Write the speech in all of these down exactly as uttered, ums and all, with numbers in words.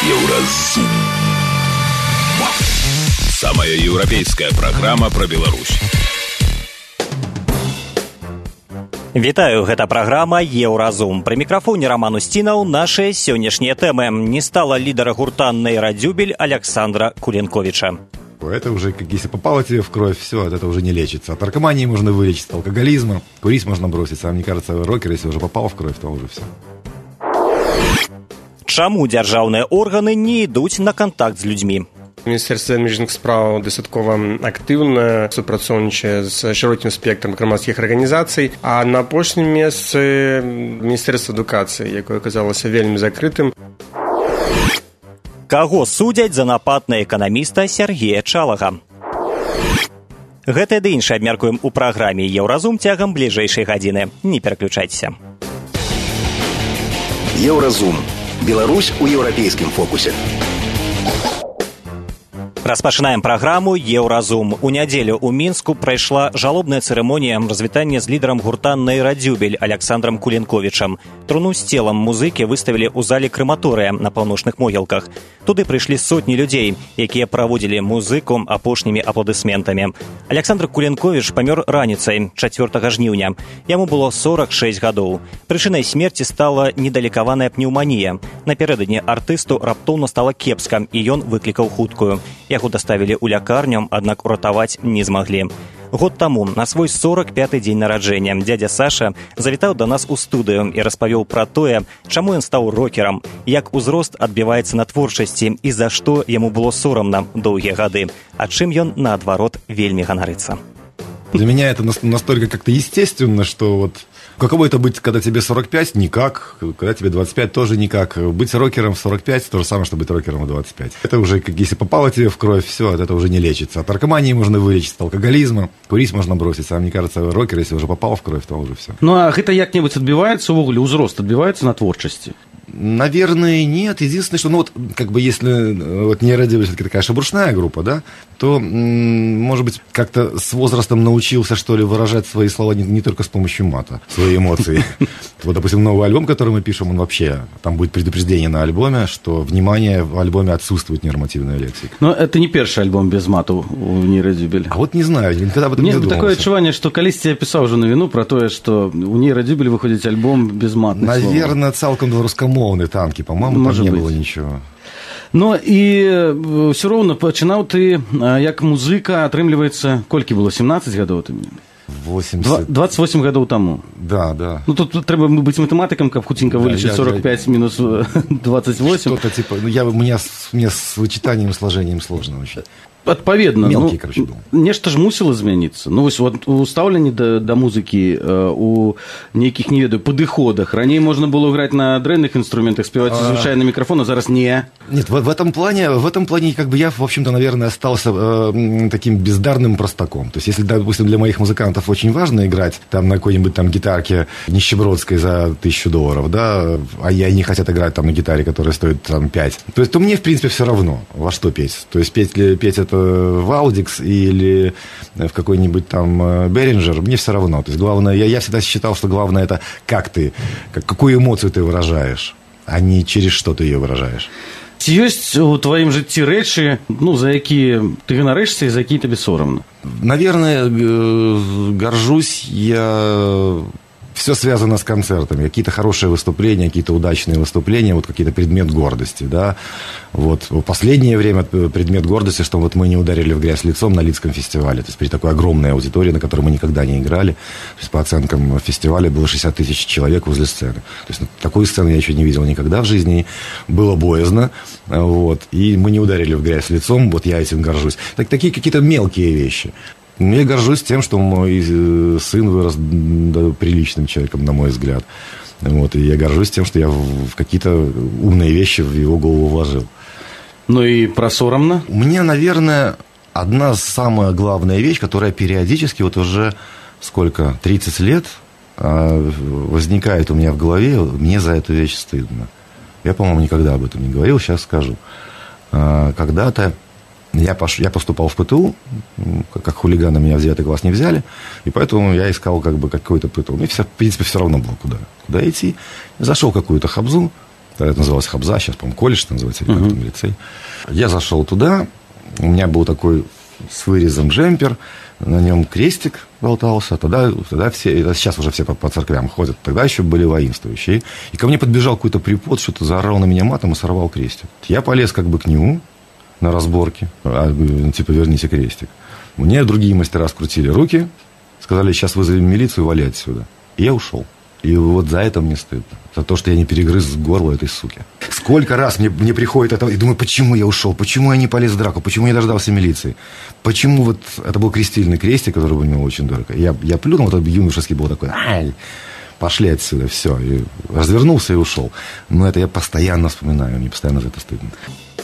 Еўразум. Самая еўрапейская праграма пра Беларусь. Вітаю, гэта праграма «Еўразум». Пры мікрафоне Роман Устінаў нашыя сённяшнія тэмы. Не стала лідара гурта «Нейрадюбель» Александра Куленковича. Это уже, если попало тебе в кровь, все, это уже не лечится. От наркомании можно вылечить, от алкоголизма, курить можно бросить. А мне кажется, рокер, если уже попало в кровь, то уже все. Чаму дзяржаўныя органы не ідуць на контакт з людзьмі? Міністэрства міжнародных спраў дастаткова актыўна супрацоўнічае з шырокім спектрам грамадскіх арганізацый, а на апошнім месцы Міністэрства адукацыі, якое аказалася вельмі закрытым. Каго судзяць за напад на эканаміста Сергея Чалага? Гэтае ды іншае абмяркуем у праграме «Еўразум» цягам бліжэйшай гадзіны. Не пераключайцеся. Еўразум. Беларусь у еўрапейскім фокусе. Распачынаем праграму «Еўразум». У нядзелю ў Мінску прайшла жалобная цырымонія развітання з лідарам гурта «Нейрадюбель» Александром Куленковичам. Труну з целам музыкі выставілі ў зале крэматорыя на паўночных могілках. Туды прыйшлі сотні людзей, якія праводзілі музыку апошнімі апладысментамі. Александр Куленкович памёр раніцай чацвёртага жніўня. Яму было сорак шэсць гадоў. Прычынай смерці стала недалікаваная пнеўманія. Напярэдадні артысту раптоўна стала кепска, і ён выклікаў хуткую. Яго даставілі ў лякарню, аднак уратаваць не змаглі. Год таму, на свой сорак пяты дзень нараджэння, дзядзя Саша завітаў да нас у студыю і распавёў пра тое, чаму ён стаў рокерам, як узрост адбіваецца на творчасці і за што яму было сорамна доўгія гады, а чым ён, наадварот, вельмі ганарыцца. Для меня это настолько как-то естественно, что вот каково это быть, когда тебе сорок пять? Никак. Когда тебе двадцать пять? Тоже никак. Быть рокером в сорок пять – то же самое, что быть рокером в двадцать пять. Это уже, как если попало тебе в кровь, все, это уже не лечится. От наркомании можно вылечить, от алкоголизма, курить можно бросить. А мне кажется, рокер, если уже попало в кровь, то уже все. Ну, а гэта як-небудзь адбіваецца ўвогуле, узрост адбіваецца на творчасці? Наверное, нет. Единственное, что, ну вот, как бы, если вот «Нейрадюбель» все-таки такая шебуршная группа, да, то, может быть, как-то с возрастом научился, что ли, выражать свои слова не, не только с помощью мата, свои эмоции. Вот, допустим, новый альбом, который мы пишем, он вообще, там будет предупреждение на альбоме, что, внимание, в альбоме отсутствует нормативная лексика. Но это не первый альбом без мату у «Нейрадюбель». А вот не знаю, никогда об этом не задумывался. Такое адчуванне, что калісьці я писал уже новину про то, что у «Нейрадюбель» выходит альбом без матных слов. Наверное, цалком беларускамоўныя танки, по-моему, там не быть. Было ничего. Ну і все роўна пачынаў ты як музыка, атрымліваецца, колькі было, семнадцать гадоў ты? восемьдесят... двадцать восемь гадоў таму. Да, да. Ну тут трэба быць матэматыкам, каб хутенька вылечыць сорок пять минус двадцать восемь. Что-то типа, ну я, мне, мне с вычитанием и сложением сложно очень. Адпаведна, мелкий, ну, короче, был. Нешта ж мусіла змяніцца. Ну, вось, вот, у стаўленні да, да музыкі, у нейкіх, не ведаю, падыходах. Раней можна было граць на дрэнных інструментах, спеваць а... звычайна на микрофон, а зараз не. Нет, в, в этом плане, в этом плане, как бы я, в общем-то, наверное, остался э, таким бездарным простаком. То есть, если, допустим, для моих музыкантов очень важно играть там на какой-нибудь там гитарке нищебродской за тысячу долларов, да, а я не хотят играть там на гитаре, которая стоит там пять, то есть, то мне, в принципе, все равно, во что петь. То есть, петь, петь это в Аудикс или в какой-нибудь там Беринджер, мне все равно. То есть главное, я, я всегда считал, что главное это как ты, как, какую эмоцию ты выражаешь, а не через что ты ее выражаешь. Ці ёсць у твоім жыцці рэчы, ну, за якія ты ганарышся і за якія табе сорамна? Наверное, горжусь я... Все связано с концертами. Какие-то хорошие выступления, какие-то удачные выступления, вот какие-то предмет гордости, да. Вот в последнее время предмет гордости, что вот мы не ударили в грязь лицом на Лидском фестивале. То есть при такой огромной аудитории, на которой мы никогда не играли. То есть по оценкам фестиваля было шестьдесят тысяч человек возле сцены. То есть такой сцены я еще не видел никогда в жизни. Было боязно. Вот. И мы не ударили в грязь лицом. Вот я этим горжусь. Так, такие какие-то мелкие вещи. Я горжусь тем, что мой сын вырос приличным человеком, на мой взгляд. Вот, и я горжусь тем, что я в какие-то умные вещи в его голову вложил. Ну и про соромно? У меня, наверное, одна самая главная вещь, которая периодически, вот уже сколько, тридцать лет, возникает у меня в голове, мне за эту вещь стыдно. Я, по-моему, никогда об этом не говорил, сейчас скажу. Когда-то Я, пош... я поступал в ПТУ, как хулиганы меня в девятый класс не взяли, и поэтому я искал как бы какой-то ПТУ. Мне, все, в принципе, все равно было, куда, куда идти. Зашел в какую-то хабзу, Тогда это называлось Хабза, сейчас, по-моему, колледж называется, или uh-huh. как-то лицей. Я зашел туда, у меня был такой с вырезом джемпер, на нем крестик болтался, тогда, тогда все, сейчас уже все по, по церквям ходят, тогда еще были воинствующие. И ко мне подбежал какой-то препод, что-то заорал на меня матом и сорвал крестик. Я полез как бы к нему на разборке, а, типа верните крестик. Мне другие мастера скрутили руки, сказали, сейчас вызовем милицию, вали отсюда. И я ушел. И вот за это мне стыдно. За то, что я не перегрыз горло этой суки. Сколько раз мне, мне приходит это... И думаю, почему я ушел? Почему я не полез в драку? Почему я не дождался милиции? Почему вот... Это был крестильный крестик, который был мне очень дорого. Я, я плюнул, вот этот юношеский был такой... Ай, пошли отсюда, все. И развернулся и ушел. Но это я постоянно вспоминаю. Мне постоянно за это стыдно.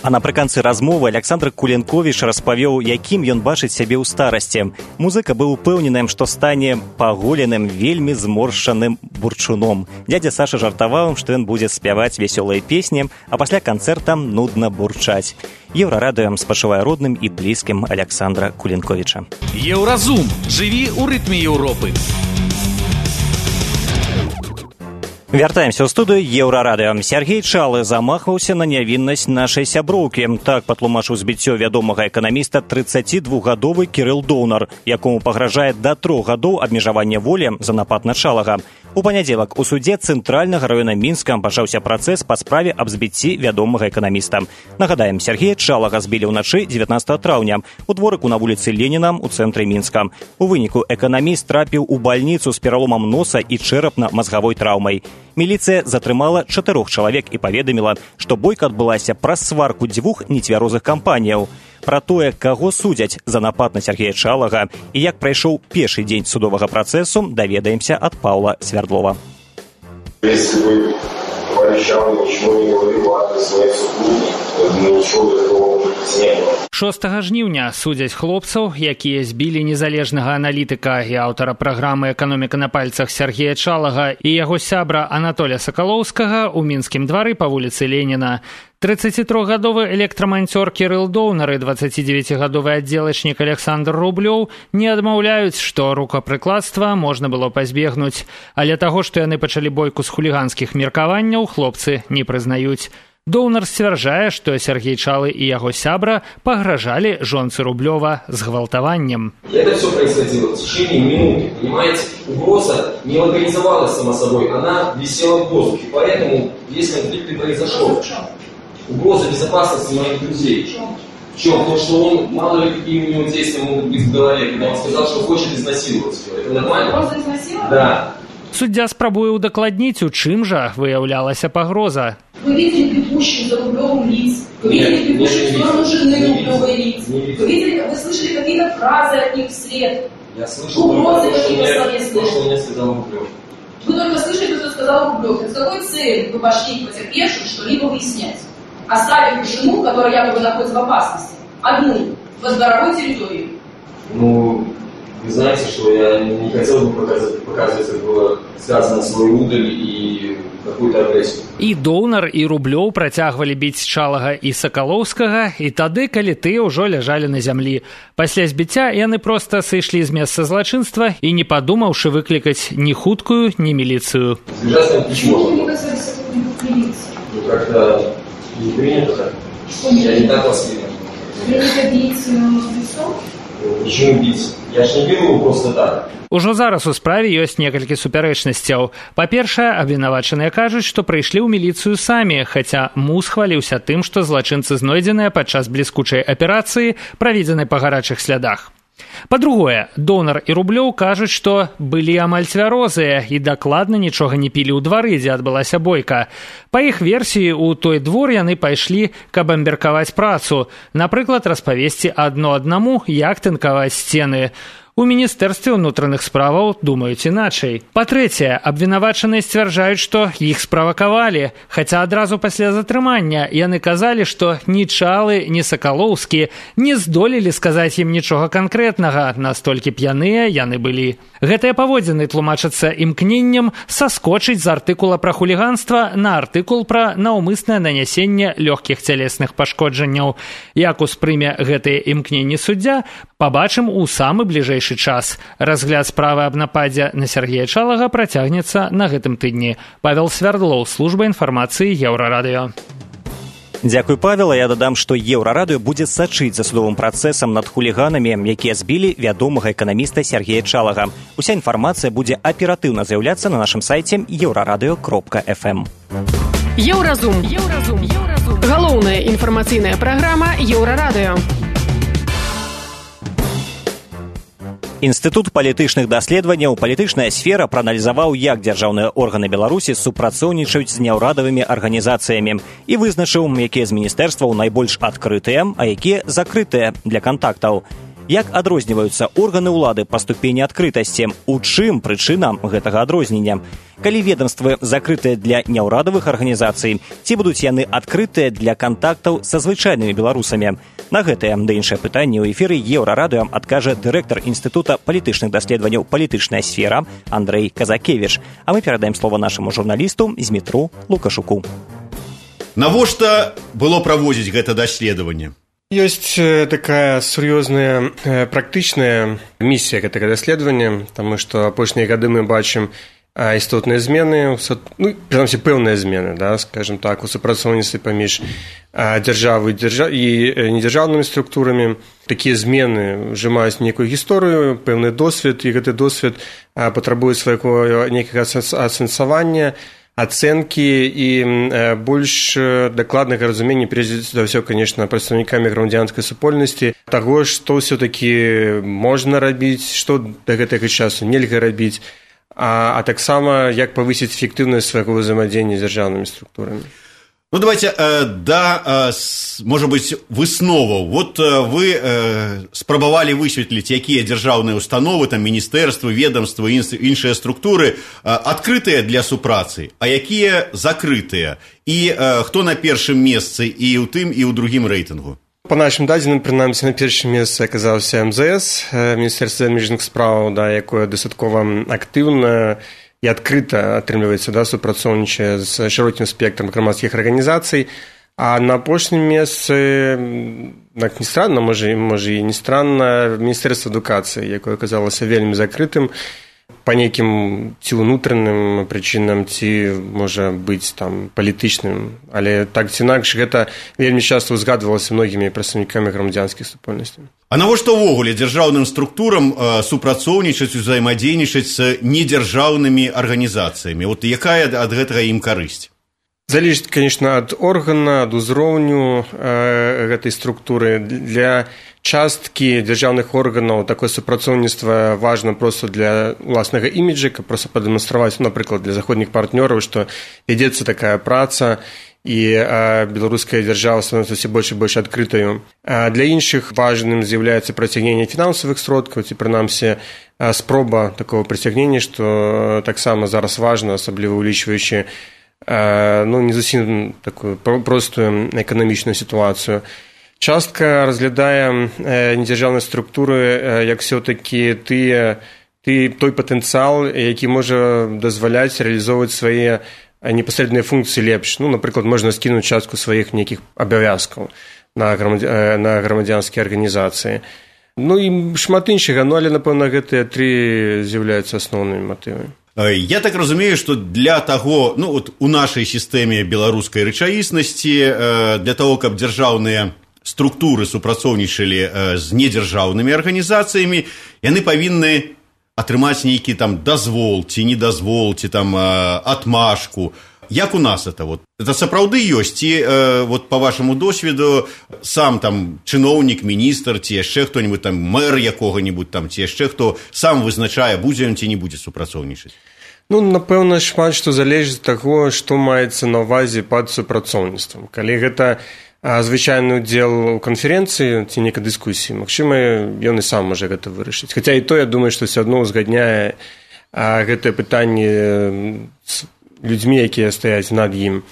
А напрыканцы размовы Александр Куленковіч распавёў, якім ён бачыць сябе ў старасці. Музыка быў упэўненым, што стане паголеным, вельмі зморшчаным бурчуном. Дядя Саша жартаваў, што ён будзе спяваць вясёлыя песні, а пасля канцэрта нудна бурчаць. Еўрарадыё спачувае родным і блізкім Александра Куленковіча. Еўразум. Жыві ў рытме Еўропы. Вяртаемся ў студыю Еўрарадыё. Сергей Чалы замахваўся на нявіннасць нашай сяброўкі. Так патлумачыў збіццё вядомага эканаміста трыццацідвухгадовы Кірыл Доўнар, якому пагражае да трох гадоў абмежавання волі за напад на Чалага. У панядзелак у судзе Цэнтральнага раёна Мінска пачаўся працэс па справе аб збіцці вядомага эканаміста. Нагадаем, Сергея Чалага збілі ўначы дзевятнаццатага траўня у дворыку на вуліцы Леніна ў цэнтры Мінска. У выніку эканаміст трапіў у бальніцу з пераломам носа і чэрапна-мазгавой траўмай. Міліцыя затрымала чатырох чалавек і паведаміла, што бойка адбылася праз сварку дзвюх нецвярозых кампаніяў. Пра тое, каго судзяць за напад на Сергея Чалага і як прайшоў першы дзень судовага працэсу, даведаемся ад Паўла Свярдлова. Если бы пообещал, ничего не говорил о своей супруге, ничего такого не было. шостага жніўня судзяць хлопцаў, якія збілі незалежнага аналітыка і аўтара праграмы «Эканоміка на пальцах» Сергея Чалага і яго сябра Анатолія Сакалоўскага ў мінскім двары па вуліцы Леніна. трыццацітрохгадовы электраманцёр Кірыл Доўнар і дваццацідзевяцігадовы аддзелачнік Александр Рублёў не адмаўляюць, што рукапрыкладства можна было пазбегнуць, але таго, што яны пачалі бойку з хуліганскіх меркаванняў, хлопцы не прызнаюць. Доўнар сцвярджае, што Сергей Чалы і яго сябра пагражалі жонцы Рублёва згвалтаваннем. Это все происходило в течение минуты, понимаете? Угроза не локализовалась сама собой, она висела в воздухе, поэтому весь конфликт и произошел. Угроза безопасности моих друзей. В чем? То, что он, мало ли какие у него действия могут быть в голове, когда он сказал, что хочет изнасиловать ее. Это нормально? Угроза изнасиловать? Да. Суддзя спрабуе ўдакладніць, у чым жа выяўлялася пагроза. Вы видели бегущих за Рублевым лиц? Вы видели бегущих в сторону жены Рублевой лиц? Вы видели, вы слышали какие-то фразы от них вслед? Я слышал угрозы то, какие-то словесные. То, что мне сказал Рублев. Вы только слышали, что сказал Рублев. С какой целью вы пошли к потерпевшим что-либо выяснять? Оставив жену, которая якобы находится в опасности, одну, в дорогой территории. Ну, вы знаете, что я не хотел бы показывать, показывать как было связано с свой удаль и какую-то агрессию. І Доўнар, і Рублёў працягвалі біць Чалага і Сакалоўскага, і тады, калі тыя ўжо ляжалі на зямлі. Пасля збіцця яны проста сышлі з месца злачынства і не падумаўшы выклікаць ні хуткую, ні міліцыю. Почему вы не вызвали сотрудников милиции? Ну, как-то не принято так. Я не так воспитан. Принято бить лицом? Почему бить? Я ж не бил его просто так. Ужо зараз у справе ёсць некалькі супярэчнасцяў. Па-першае, абвінавачаныя кажуць, што прыйшлі ў міліцыю самі, хаця Муз хваліўся тым, што злачынцы знойдзеныя падчас бліскучай аперацыі, праведзенай па гарачых слядах. Па-другое, Доўнар і Рублёў кажуць, што былі амаль цвярозыя і дакладна нічога не пілі ў двары, дзе адбылася бойка. Па іх версіі, у той двор яны пайшлі, каб абмеркаваць працу, напрыклад, распавесці адно аднаму, як тынкаваць сцены. У міністэрстве ўнутраных справаў думаюць іначай. Па-трэцяе, абвінавачаныя сцвярджаюць, што іх справакавалі, хаця адразу пасля затрымання яны казалі, што ні Чалы, ні Сакалоўскі не здолелі сказаць ім нічога канкрэтнага, настолькі п'яныя яны былі. Гэтыя паводзіны тлумачацца імкненнем саскочыць з артыкула пра хуліганства на артыкул пра наўмыснае нанясенне лёгкіх цялесных пашкоджанняў. Як успрыме гэтыя імкненні суддзя, Пабачым у самы бліжэйшы час. Разгляд справы аб нападзе на Сергея Чалага працягнецца на гэтым тыдні. Павел Свярдлоў, служба інфармацыі Еўрарадыё. Дзякуй, Павел. Я дадам, што Еўрарадыё будзе сачыць за судовым працэсам над хуліганамі, якія збілі вядомага эканаміста Сергея Чалага. Уся інфармацыя будзе аператыўна з'яўляцца на нашым сайце еўрарадыё кропка эф эм. Еўразум. Еўразум. Еўразум. Галоўная інфармацыйная праграма Еўрарадыё. Інстытут палітычных даследаванняў «Палітычная сфера» прааналізаваў, як дзяржаўныя органы Беларусі супрацоўнічаюць з няўрадавымі арганізацыямі і вызначыў, якія з міністэрстваў найбольш адкрытыя, а якія закрытыя для кантактаў. Як адрозніваюцца органы ўлады па ступені адкрытасці? У чым прычына гэтага адрознення? Калі ведомствы закрытыя для няўрадавых арганізацый, ці будуць яны адкрытыя для кантактаў са звычайнымі беларусамі? На гэтае да іншае пытанне ў эфіры Еўрарадыё адкажа дырэктар Інстытута палітычных даследаванняў «Палітычная сфера» Андрэй Казакевіч. А мы перадаем слова нашаму журналісту Змітру Лукашуку. Навошта было праводзіць гэта даследаванне? Ёсць такая сур'ёзная практычная місія гэтага даследавання, таму што апошнія гады мы бачым істотныя змены, ну, прынамсі пэўныя змены, да, скажем так, у супрацоўніцтве паміж дзяржавай і недзяржаўнымі структурамі. Такія змены ўжываюць нейкую гісторыю, пэўны досвед, і гэты досвед патрабуе свайго нейкага асэнсавання, ацэнкі і больш дакладнага разумення, прежде за ўсё, конечно, прадстаўнікамі грамадзянскай супольнасці, таго, што ўсё-такі можна рабіць, што да гэтага часу нельга рабіць, а, а таксама як павысіць эфектыўнасць свайго ўзаемадзеяння з дзяржаўнымі структурамі. Ну, давайте, э, да, э, с, может быть, высноваў. Вот э, вы э, спрабавалі высветліць, якія дзяржаўныя установы, там, міністэрствы, ведомствы, іншыя структуры э, адкрытыя для супрацы, а якія закрытыя. І э, хто на першым месцы і ў тым, і ў другім рэйтынгу? По нашим дадзеным, прынамсі, на першым месцы аказаўся эм зэ эс, Міністэрства замежных спраў, да, якое дастаткова актыўна і адкрыта атрымліваецца, да, супрацоўнічае з шырокім спектрам грамадскіх арганізацый, а на апошнім месцы, так не странна, можа, можа і не странна, Міністэрства адукацыі, якое аказалася вельмі закрытым па нейкім ці ўнутраным прычынам, ці, можа быць, там, палітычным, але так ці інакш гэта вельмі часта ўзгадвалася многімі прадстаўнікамі грамадзянскіх супольнасцей. А навошта ўвогуле дзяржаўным структурам э, супрацоўнічаць, узаемадзейнічаць з недзяржаўнымі арганізацыямі? Вот якая ад гэтага ім карысць? Залежыць, конечно, ад органа, ад узроўню э, гэтай структуры. Для часткі дзяржаўных органаў такое супрацоўніцтва важна проста для ўласнага іміджа, каб проста прадэманстраваць, напрыклад, для заходніх партнёраў, што вядзецца такая праца, і а, беларуская дзяржава становіцца ўсё больш і больш адкрытаю. А для іншых важным з'яўляецца прыцягненне фінансавых сродкаў, ці прынамсі спроба такого прыцягнення, што таксама зараз важна, асабліва ўлічваючы а, ну, не зусім такую простую эканамічную сітуацыю. Частка разглядае недзяржаўнай структуры як все-таки тыя, ты, той патэнцыял, які можа дазваляць рэалізоўваць свае непасрэдныя функцыі лепш. Ну, напрыклад, можна скінуць частку сваіх нейкіх абавязкаў на, грамадзя... на грамадзянскія арганізацыі. Ну і шмат іншага, ну, але, напэўна, гэтыя тры з'яўляюцца асноўнымі матывамі. Я так разумею, что для того, ну, вот у нашай сістэме беларускай рэчаіснасці, для того, каб дзяржаўныя структуры супрацоўнічалі з недзяржаўнымі арганізацыямі, яны павінны атрымаць нейкі там дазвол, ці не дазвол, ці там атмашку. Як у нас это? Вот? Это сапраўды ёсць? Ці вот, по вашаму досведу сам там чыноўнік, міністр, ці яшчэ хто-нибудь там, мэр якога-нибудь там, ці яшчэ хто сам вызначае, будзе ён ці не будзе супрацоўнічаць? Ну, напэўна, шмат што залежыць ад таго, што маецца на ўвазе пад супрацоўніцтвам. Калі гэта звычайны ўдзел у канферэнцыі ці нейкай дыскусіі, магчыма, ён і сам можа гэта вырашыць. Хаця і то, я думаю, што ўсё адно ўзгадняе гэтае пытанне з людзьмі, якія стаяць над ім.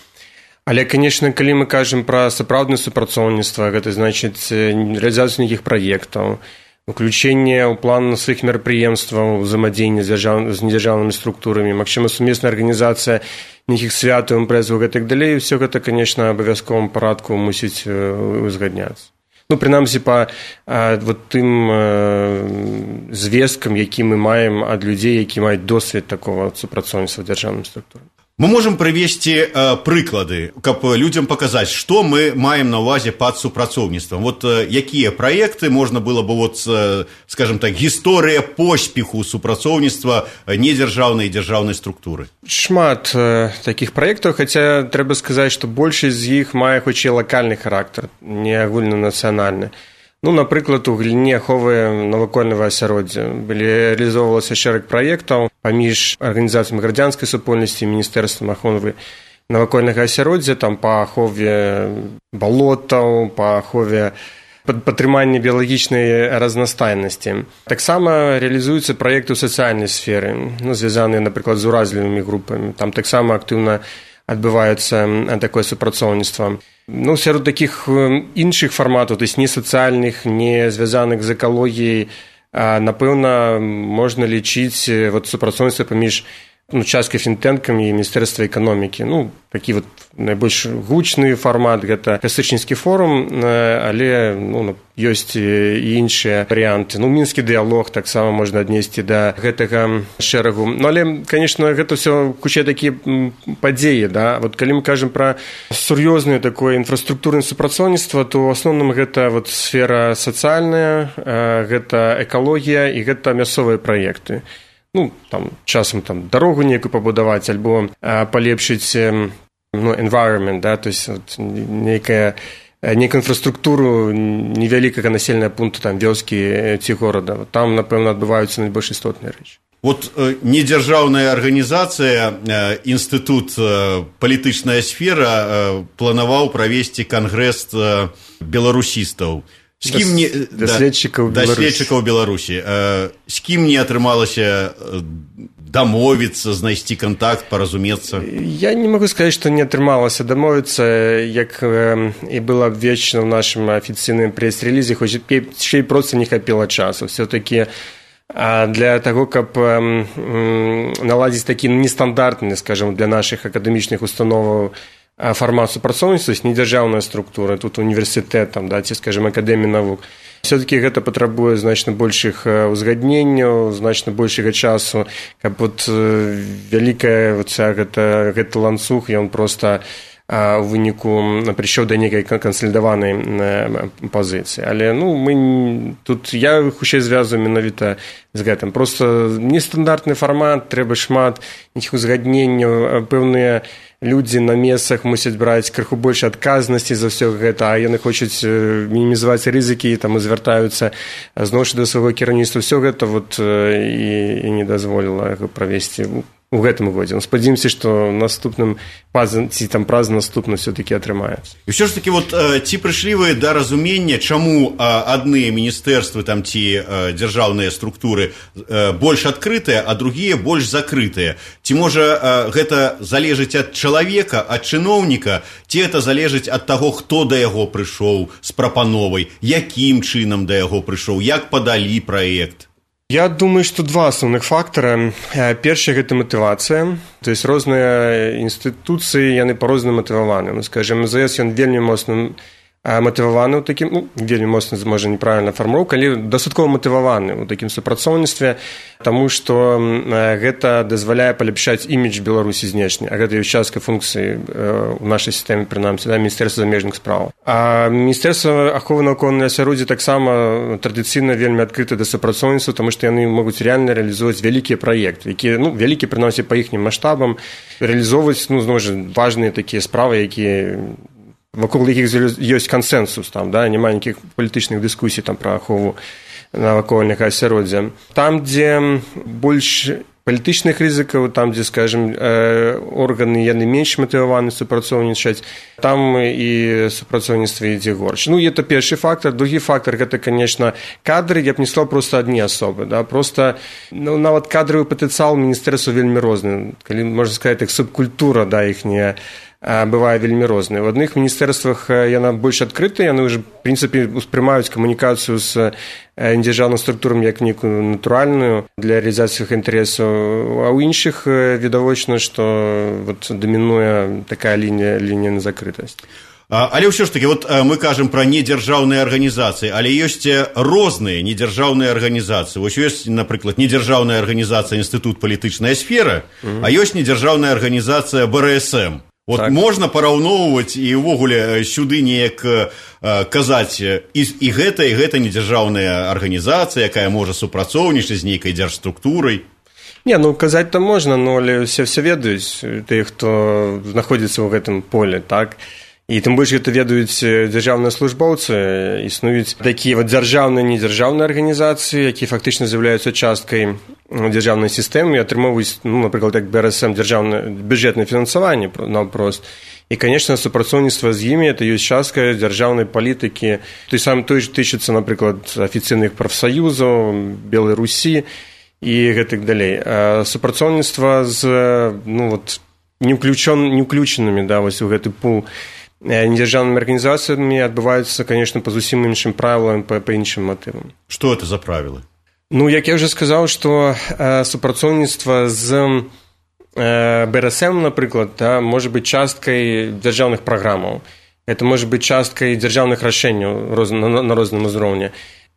Але, канешне, калі мы кажам пра сапраўднае супрацоўніцтва, гэта значыць рэалізацыю нейкіх праектаў, уключэнне ў план сваіх мерапрыемстваў, узаемадзеяння з недзяржаўнымі структурамі, магчыма, сумесная арганізацыя нейкіх святаў, імпрэзаў і так далей, ўсё гэта, канешне, абавязковым парадку мусіць узгадняцца. Ну, прынамсі, па вот тым э, звесткам, які мы маем ад людзей, які маюць досвед такого супрацоўніцтва дзяржаўным структурам. Мы можем привести э, прыклады, каб людям показать, что мы маем на увазе под супрацоўніцтвам. Вот э, якія проекты можно было бы, вот, э, скажем так, гісторыя поспеху супрацоўніцтва недзяржаўнай і дзяржаўнай структуры? Шмат э, таких проектаў, хотя трэба сказаць, што большасць з іх мае хоць і лакальны характар, не агульнанацыянальны. Ну, напрыклад, у галіне аховы навакольнага асяроддзя былі рэалізоўвалася шэраг праектаў паміж арганізацыямі грамадзянскай супольнасці і міністэрствам аховы навакольнага асяроддзя, там па ахове балотаў, па ахове падтрымання біялагічнай разнастайнасці. Таксама рэалізуюцца праекты ў сацыяльнай сферы, ну, звязаныя, напрыклад, з уразлівымі групамі. Там таксама актыўна адбываецца такое супрацоўніцтва. Ну, сярод такіх іншых фарматаў, то есть не сацыяльных, не звязаных з экалогіяй, напэўна, можна лічыць вот супрацоўніцтва паміж ну, часткай фінтэнкамі і міністэрства эканомікі. Ну, такі вот найбольш гучны фармат гэта касычніцкі форум, але ну, ёсць і іншыя варыянты. Ну, мінскі дыялог таксама можна аднесці да гэтага шэрагу. Ну, але, конечно, гэта ўсё куча такія падзеі, да. Вот калі мы кажам пра сур'ёзнае такое інфраструктурнае супрацоўніцтва, то ў асноўным гэта вот сфера сацыяльная, гэта экалогія і гэта мясцовыя праекты. Ну, там, часам там дарогу некую пабудаваць альбо а, палепшыць ну, environment, да, то есть вот, нейкая, нейкую інфраструктуру невялікага населенага пункту, там, вёскі ці горада. Вот, там, напэўна, адбываюцца найбольш істотныя рэчы. Вот э, недзяржаўная арганізацыя, э, інстытут э, палітычная сфера э, планаваў правесці кангрэс э, беларусістаў. З кім не даследчыкаў да, даследчыкаў Беларусі. Э, з кім не атрымалася дамовіцца, знайсці контакт, паразумецца? Я не могу сказаць, што не атрымалася дамовіцца, як э, і было абвешчана ў нашым афіцыйным прэс-рэлізе, хоць яшчэ і проста не хапіла часу. Все-таки а для таго, каб э, наладзіць такі нестандартны, скажем, для нашых акадэмічных установаў фармат супрацоўніцтва, не дзяржаўная структура, тут універсітэт, там, да, ці, скажем, акадэмія навук. Все-таки гэта патрабуе значна большых узгадненняў, значна большага часу, каб вот вялікая вот, гэта, гэта ланцуг, ён проста у выніку прыйшоў да нейкай кансалідаванай пазіцыі. Але ну, мы, тут я хутчэй звязываю менавіта з гэтым. Проста нестандартны фармат, трэба шмат нейкіх узгадненняў, пэўныя людзі на месцах мусяць браць крыху больш адказнасці за ўсё гэта, а яны хочуць мінімізаваць рызыкі, там і звяртаюцца зноў жа да свайго кіраўніцтва. Усё гэта вот і, і не дазволіла правесці у гэтым годзе. Спадзяёмся, што наступным ці там праз наступна все-таки атрымаецца. І ўсё ж таки вот ці прыйшлі вы да разумення, чаму адныя міністэрствы там ці дзяржаўныя структуры больш адкрытыя, а другія больш закрытыя? Ці можа гэта залежыць ад чалавека, ад чыноўніка, ці это залежыць ад таго, хто да яго прыйшоў з прапановай, якім чынам да яго прыйшоў, як падалі праект? Я думаю, што два асноўных фактара. Першы – гэта матывацыя. То есть розныя інстытуцыі, яны па-рознаму матываваны. Ну, скажем, эм зэ эс, ён вельмі моцна матываваны ў такім, ну, вельмі моцна, можа, неправільна фармулёўка, але дастаткова матываваны ў такім супрацоўніцтве, таму што гэта дазваляе паляпшаць імідж Беларусі знешне, а гэта ёсць частка функцыі ў нашай сістэме, прынамсі, да, Міністэрства замежных спраў. А Міністэрства аховы навакольнага асяроддзя таксама традыцыйна вельмі адкрыта да супрацоўніцтва, таму што яны могуць рэальна рэалізоўваць вялікія праекты, якія, ну, вялікія, прынамсі, па іхнім маштабам, рэалізоўваць, ну, зноў жа, важныя такія справы, якія вакол якіх ёсць кансэнсус, там, да, няма ніякіх палітычных дыскусій там пра ахову навакольнага асяроддзя. Там, дзе больш палітычных рызыкаў, там, дзе, скажем, органы яны менш матываваны супрацоўнічаць, там і супрацоўніцтва ідзе горш. Ну, это першы фактор. Другі фактор – гэта, конечно, кадры, я б не сказал, просто адні асобы, да, просто, ну, нават кадравы патэнцыял міністэрства вельмі розны. Калі можна сказаць, як субкультура, да, іхняя бывае вельмі розныя. В адных міністэрствах яна больш адкрытая, яны ўжо, в прынцыпе, успрымаюць камунікацыю з дзяржаўным структурам як некую натуральную для рэалізацыі іх інтарэсаў, а ў іншых відавочна, што вот дамінуе такая лінія, лінія на закрытасць. Але ўсё ж таки, вот мы кажам пра недзяржаўныя арганізацыі, але ёсць розныя недзяржаўныя арганізацыі. Вось ёсць, напрыклад, недзяржаўная арганізацыя Інстытут палітычная сфера, mm-hmm. а ёсць недзяржаўная арганізацыя бэ эр эс эм. Вот так. Можна параўноўваць і ўвогуле сюды неяк казаць і, і гэта, і гэта недзяржаўная арганізацыя, якая можа супрацоўнічаць з нейкай дзяржструктурай. Не, ну казаць-то можна, но але все все ведаюць, тыя, хто знаходзіцца ў гэтым поле, так? І тым больш гэта ведаюць дзяржаўныя службоўцы, існуюць такія вот дзяржаўныя і недзяржаўныя арганізацыі, якія фактычна з'яўляюцца часткай дзяржаўнай сістэмы і атрымоўваюць, ну, напрыклад, як бэ эр эс эм, дзяржаўнае бюджэтнае фінансаванне наўпрост. І, конечно, супрацоўніцтва з імі это ёсць частка дзяржаўнай палітыкі. Той сам той ж тычыцца, напрыклад, афіцыйных прафсаюзаў, Белай Русі і гэтак далей. А супрацоўніцтва з, ну, вот, не ўключанымі, да, вось у гэты пул недзяржаўнымі арганізацыямі адбываюцца, конечно, па зусім іншым правілам, па, па іншым матывам. Што гэта за правілы? Ну, як я ўжо сказаў, што э, супрацоўніцтва з э, бэ эр эс эм, напрыклад, да, можа быць часткай дзяржаўных праграмаў. Это можа быць часткай дзяржаўных рашэнняў роз, на, на розным узроўні.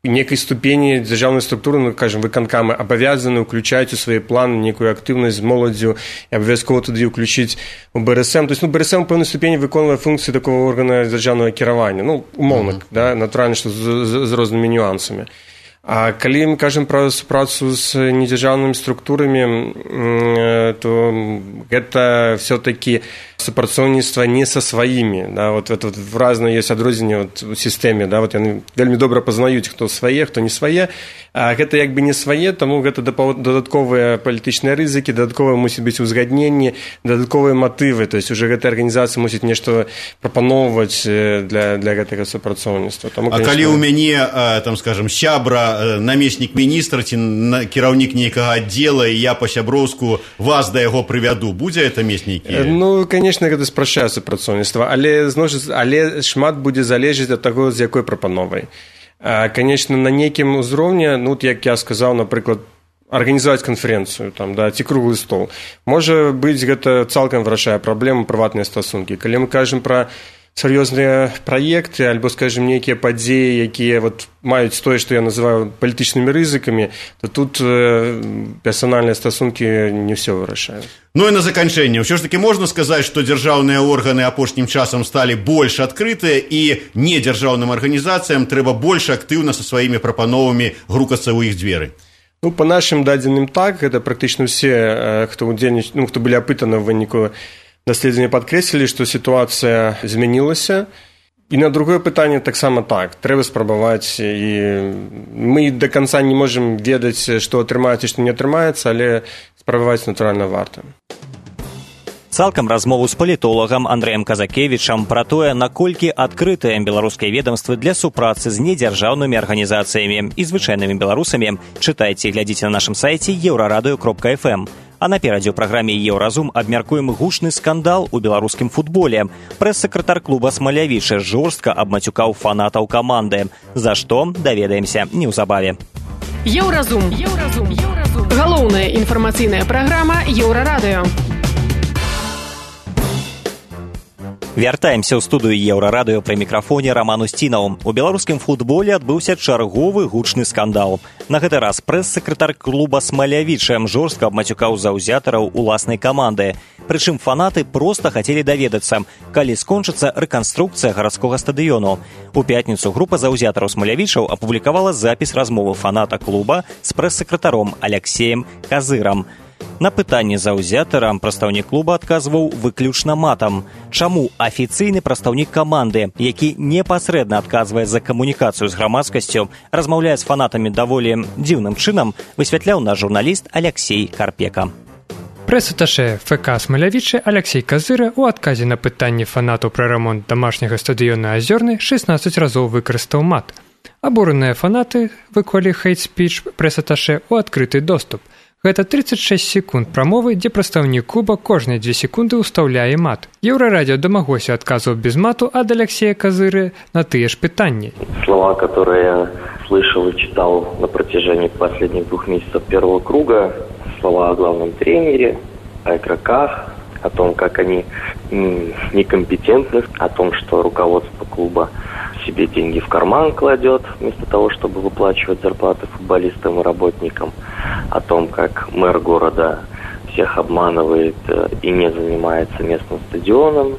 Некай ступені дзяржаўнай структуры, ну, кажам, выканкамы абавязаны ўключаць у свае планы некую актыўнасць з моладдзю і абавязкова туды ўключыць у бэ эр эс эм. То есть, ну, бэ эр эс эм у пэўнай ступені выконвае функцыі такого органа дзяржаўнага кіравання. Ну, умоўна, mm-hmm. да, натуральна, што з, з, з рознымі нюансамі. А калі мы кажам пра супрацу з недзяржаўнымі структурамі, то гэта все-таки супрацоўніцтва не са сваімі. Да? Вот, вот, вот разное ёсць адрозненне вот, у сістэме. Да? Вот яны вельмі добра пазнаюць, хто свае, хто не свае. А гэта як бы не свае, таму гэта дадатковыя палітычныя рызыкі, дадатковыя мусіць быць узгадненні, дадатковыя матывы. То есть уже гэтая арганізацыя мусіць нешта прапаноўваць для, для гэтага супрацоўніцтва. Таму, а конечно... калі ў мяне, там, скажем, сябра, намеснік міністра ці кіраўнік нейкага аддзела, і я па-сяброўску вас да яго прывяду, будзе это мест нейкі? Ну, конечно, гэта спрашчае супрацоўніцтва, але, але шмат будзе залежаць ад таго, з якой прапановай. Конечно, на нейкім узроўні, ну, як я сказаў, напрыклад, арганізаваць канферэнцыю, там, да, ці круглы стол. Можа быць, гэта цалкам вырашае праблему прыватныя стасункі. Калі мы кажам пра сур'ёзныя праекты, альбо, скажем, нейкія падзеі, якія вот маюць тое, што я называю палітычнымі рызыкамі, то тут э, персанальныя стасункі не ўсё вырашаюць. Ну і на заканчэнне, ўсё ж таки можна сказаць, што дзяржаўныя органы апошнім часам сталі больш адкрытыя, і недзяржаўным арганізацыям трэба больш актыўна са сваімі прапановамі грукацца ў іх дзверы. Ну, па нашым дадзеным так, гэта практычна ўсе, хто удзельнічалі, ну, хто былі апытаны ў выніку даследавання, падкрэслілі, што сітуацыя змянілася. І на другое пытанне таксама так. Трэба спрабаваць, і мы да канца не можам ведаць, што атрымаецца і што не атрымаецца, але спрабаваць натуральна варта. Цалкам размову з палітолагам Андрэем Казакевічам пра тое, наколькі адкрытыя беларускія ведомствы для супрацы з недзяржаўнымі арганізацыямі і звычайнымі беларусамі, чытайце і глядзіце на нашым сайце еўрарадыё кропка эф эм. А наперадзе ў праграме «Еўразум» абмяркуем гучны скандал у беларускім футболе. Прэс-сакратар клуба «Смалявічы» жорстка абмацюкаў фанатаў каманды. За што, даведаемся неўзабаве. Еўразум. Еўразум. Еўразум. Галоўная інфармацыйная праграма «Еўрарадыё». Вяртаемся ў студыю Еўрарадыё пры мікрафоне Раман Усцінаў. У беларускім футболе адбыўся чарговы гучны скандал. На гэты раз прэс-сакратар клуба «Смалявічы» жорстка абмацюкаў заўзятараў уласнай каманды. Прычым фанаты проста хацелі даведацца, калі скончыцца рэканструкцыя гарадскога стадыёну. У пятніцу група заўзятараў «Смалявічаў» апублікавала запіс размовы фаната клуба з прэс-сакратаром Аляксеем Казырам. На пытанне заўзятара прадстаўнік клуба адказваў выключна матам. Чаму афіцыйны прадстаўнік каманды, які непасрэдна адказвае за камунікацыю з грамадскасцю, размаўляе з фанатамі даволі дзіўным чынам, высвятляў наш журналіст Аляксей Карпека. Прэс-аташэ эф ка «Смалявічы» Аляксей Казыра ў адказе на пытанне фанатаў пра рамонт дамашняга стадыёна «Азёрны» шэснаццаць разоў выкарыстаў мат. Абураныя фанаты выклалі хейт-спіч прэс-аташэ ў адкрыты доступ. Гэта тридцать шесть секунд прамовы, дзе прадстаўнік клуба кожныя две секунды ўстаўляе мат. Еўрарадио домагося адказаў без мату ад Алексея Казыры на тыя ж пытанні. Слова, которые я слышал и читал на протяжении последних двух месяцев первого круга, слова о главном тренере, о игроках, о том, как они некомпетентны, о том, что руководство клуба себе деньги в карман кладет, вместо того, чтобы выплачивать зарплаты футболистам и работникам, о том, как мэр города всех обманывает и не занимается местным стадионом,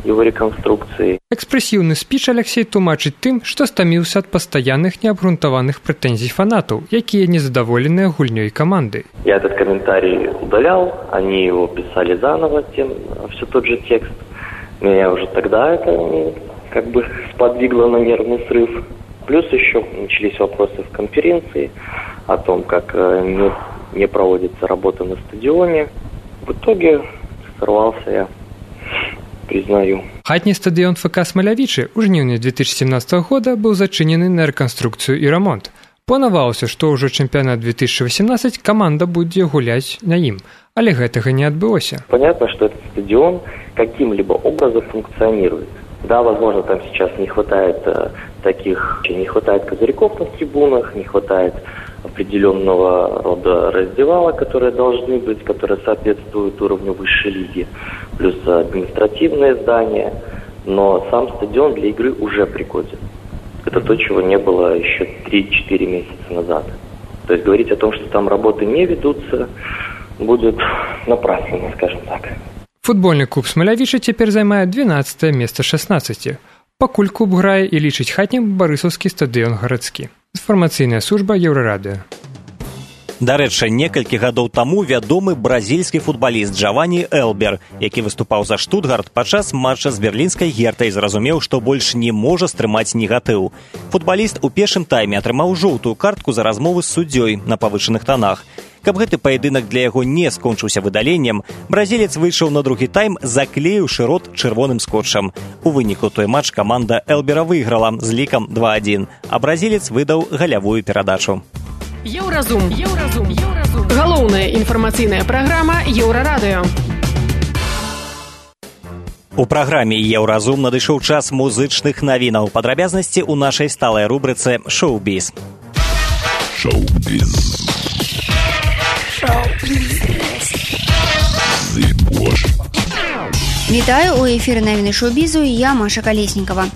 его реконструкцией. Экспрессивны спіч Алексей тлумачыць тым, што стаміўся ад пастаянных неабгрунтаваных прэтэнзій фанатаў, якія незадаволеныя гульнёй каманды. Я этот комментарий удалял, они его писали заново, тем, все тот же текст. Меня уже тогда это как бы сподвигло на нервный срыв. Плюс еще начались вопросы в конференции о том, как не, не проводится работа на стадионе. В итоге сорвался я, признаю. Хатні стадыён ФК «Смалявічы» ў жніўні две тысячи семнадцатого года быў зачынены на рэканструкцыю і рамонт. Планавалася, што ўжо чэмпіянат две тысячи восемнадцать каманда будзе гуляць на ім, але гэтага не адбылося. Понятно, что этот стадион каким-либо образом функционирует. Да, возможно, там сейчас не хватает э, таких, не хватает козырьков на трибунах, не хватает определенного рода раздевалок, которые должны быть, которые соответствуют уровню высшей лиги, плюс административное здание, но сам стадион для игры уже пригоден. Это то, чего не было еще три-четыре месяца назад. То есть говорить о том, что там работы не ведутся, будет напрасно, скажем так. Футбольны клуб «Смалявічы» цяпер займае двенаццатае месца з шаснаццаці. Пакуль клуб грае і лічыць хатнім барысаўскі стадыён гарадскі. Інфармацыйная служба Еўрарадыё. Дарэчы, некалькі гадоў таму вядомы бразільскі футбаліст Джавані Элбер, які выступаў за Штутгарт падчас матча з берлінскай Гертай, зразумеў, што больш не можа стрымаць негатыў. Футбаліст у першым тайме атрымаў жоўтую картку за размовы з суддзёй на павышаных танах. Каб гэты паядынак для яго не скончыўся выдаленнем, бразілец выйшаў на другі тайм, заклеіўшы рот чырвоным скотчам. У выніку той матч каманда Элбера выйграла з лікам два адзін, а бразілец выдаў галявую перадачу. Еўразум. Еўразум. Еўразум. Галоўная інфармацыйная праграма Еўрарадыё. У праграме «Еўразум» надышоў час музычных навінаў. Падрабязнасці ў нашай сталай рубрыцы «Шоу-біз». Шоу-біз. Вітаю, у эфіры навіны шоу-бізу і я, Маша Калеснікава.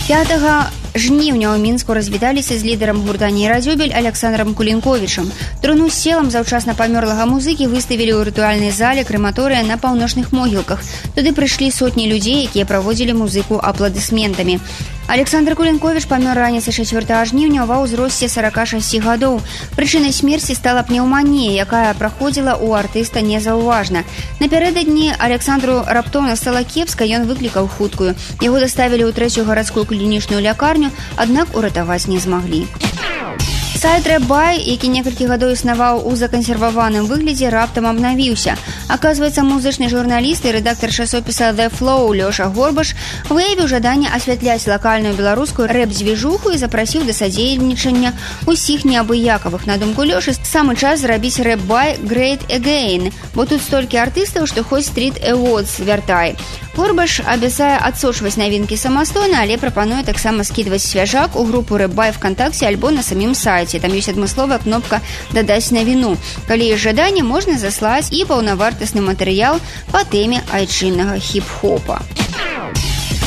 пятага жніўня ў Мінску развіталіся з лідарам гурта «Нейрадзюбель» Александром Кулінковічам. Труну з целам заўчасна памёрлага музыкі выставілі ў рытуальнай зале крэматорыя на паўночных могілках. Туды прыйшлі сотні людзей, якія праводзілі музыку апладысментамі. Александр Кулінковіч памёр раніцай чацвёртага жніўня ва ўзросце сорока шасці гадоў. Прычынай смерці стала пнеўманія, якая праходзіла ў артыста незаўважна. Напярэдадні Александру раптоўна стала кепска, ён выклікаў хуткую. Яго даставілі ў трэцюю гарадскую клінічную лякарню, аднак уратаваць не змаглі. Сайт Рэббай, які некалькі гадоў існаваў у закансерваваным выглядзе, раптам абнавіўся. Аказваецца, музычны журналіст і рэдактар часопіса The Flow Лёша Горбаш выявіў жаданне асвятляць лакальную беларускую рэп-дзвіжуху і запрасіў да садзейнічання ўсіх неабыякавых. На думку Лёшы, самы час зрабіць Рэббай Great Again, бо тут столькі артыстаў, што хоць Street Awards вяртай. Горбаш абяцае адсочваць навінкі самастойна, але прапануе таксама скідваць свяжак у групу Рэббай ВКонтакце альбо на самім сайце. Там ёсць адмысловая кнопка «Дадаць навіну». Калі ёсць жаданне, можна заслаць і паўнавартасны матэрыял па тэме айчыннага хіп-хопа.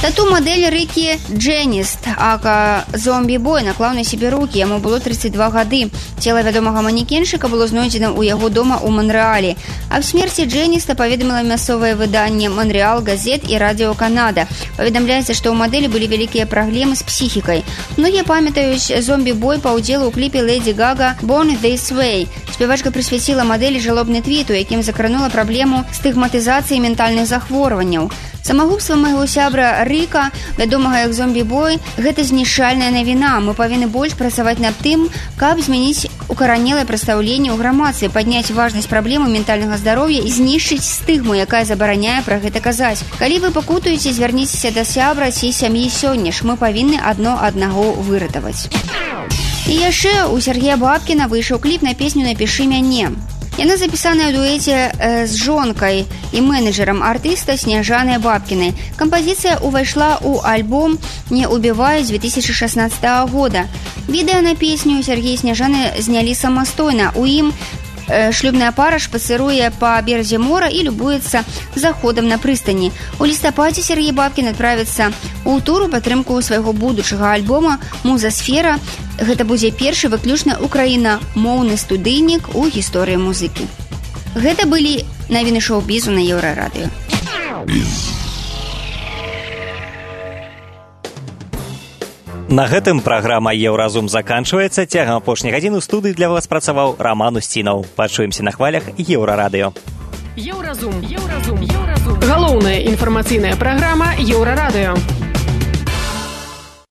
Тату-мадэль Рыкі Джэніст, ака зомбі-бой, наклаў на сябе рукі. Яму было тридцать два гады. Цела вядомага манекеншыка было знойдзена ў яго дома ў Монрэалі. Аб смерці Джэніста паведаміла мясцовае выданне «Монрэал Газет» і «Радіо Канада». Паведамляецца, што ў мадэлі былі вялікія праблемы з псіхікай. Многія памятаюць зомбі-бой па ўдзелу ў кліпе Лэйдзі Гага «Born This Way». Спявачка прысвяціла мадэлі жалобны твіт, у якім закранула праблему стыгматызацыі ментальных захворванняў. Самагубства майго сябра Рыка, вядомага як зомбі-бой, гэта знішчальная навіна. Мы павінны больш працаваць над тым, каб змяніць укаранелае прадстаўленне ў грамадстве, падняць важнасць праблемы ментальнага здароўя і знішчыць стыгму, якая забараняе пра гэта казаць. Калі вы пакутуеце, звярніцеся да сябра ці сям'і сёння ж. Мы павінны адно аднаго выратаваць. І яшчэ у Сергея Бабкіна выйшаў кліп на песню «Напішы мяне». Яна запісаная ў дуэце э, з жонкай і менеджерам артыста Сняжанай Бабкінай. Кампазіцыя ўвайшла ў альбом «Не убіваюць» две тысячи шестнадцатого года. Відэа на песню Сергей і Сняжаны знялі самастойна. У ім Шлюбная пара шпацыруе па беразе мора і любуецца заходам на прыстані. У лістападзе Сергей Бабкін адправіцца ў тур у падтрымку свайго будучага альбома «Музасфера». Гэта будзе першы выключна украінамоўны студыйнік у гісторыі музыкі. Гэта былі навіны шоу-бізу на Еўрарадыё. На гэтым праграма «Еўразум» заканчваецца. Цягам апошняй гадзіны ў студыі для вас працаваў Раман Усцінаў. Пачуемся на хвалях Еўрарадыё. Еўразум. Еўразум. Еўразум. Галоўная інфармацыйная праграма Еўрарадыё.